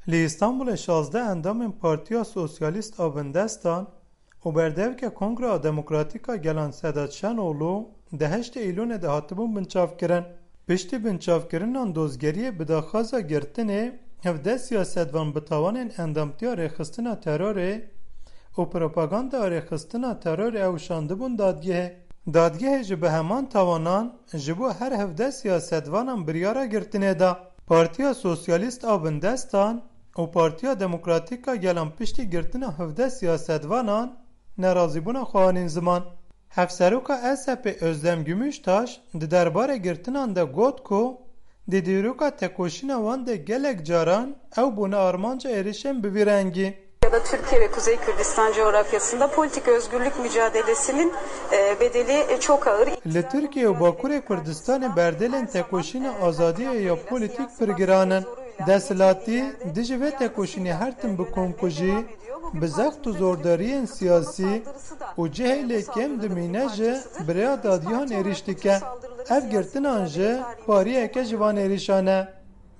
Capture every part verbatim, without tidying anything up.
Li Îstanbulê şazdeh endamên Partiya Sosyalîst a Bindestan û berdevke Kongra Demokratîk a Gelan Sedat Şenoglu di heştê Îlonê de hatibûn binçavkirin. Piştî binçavkirinan dozgeriyê bi daxwaza girtinê hevdeh siyasetvan bi tawanên endamtiya rêxistina terorê û propaganda rêxistina terorê ew şandibûn dadgehê. Dadgehê jî bi heman tawanan ji bo her hevdeh siyasetvanan biryara girtinê da. Partiya Sosyalîst a Bindestan û Partiya Demokratîk a Gelan piştî girtina hevdeh siyasetvanan nerazîbûna xwe anîn ziman. Hevseroka S H P Özlem Gümüştaş di derbarê girtinan de got ku di dîroka tekoşîna wan de gelek caran ew bûne armanca êrişên bi vî rengî. Ya da Türkiye ve Kuzey Kürdistan coğrafyasında politik özgürlük mücadelesinin e, bedeli e, çok ağır. Li Tirkiye û Bakurê Kurdistanê berdelên tekoşîna azadiyê ya polîtîk pir giran in. Desthilatî dijî vê tekoşînê her tim bi komkujî, bi zext û zordariyên siyasî û cihê lê kêm dimîne jî bi rêya dadiyan êrîş dike. Ev girtinan jî pariyeke ji van êrîşan e.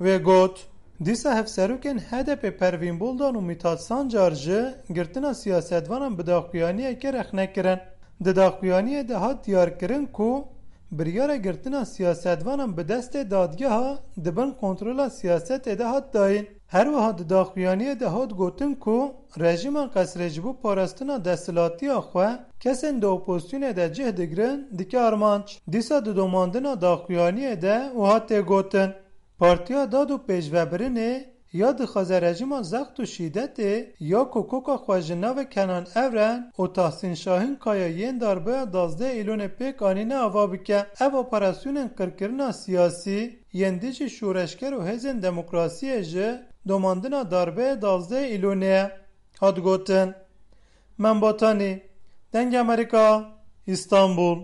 Wê got, dîsa hevserokên H D P Pervîn Buldan û Mithat Sancar jî girtina siyasetvanan bi daxuyaniyekê rexne kirin. Di daxuyaniyê de hat diyarkirin ku biryara girtina siyasetvanan bi destê dadgeha di bin kontrola siyasetê de hat dayîn. Her wiha di daxuyaniyê de hat gotin ku rejîma Qesrê ji bo parastina desthilatiya xwe kesên di opozisyonê de cih digirin dike armanc. Dîsa di domandina daxuyaniyê de wiha tê gotin, Partiya Dad û Pêşvebirinê ya dixwaze rejîma zext û şîdetê ya ku koka xwe ji navê Kenan Evren û Tahsîn Şahîn Kaya yên darbeya duwazdeh Îlonê pêk anîne ava bike. Ev operasyonên qirkirina siyasî yên dijî şoreşger û hêzên demokrasiyê ji domandina darbeya duwazdeh Îlonê ye, hat gotin. Membatanî, Dengê Amerîka, Îstanbul.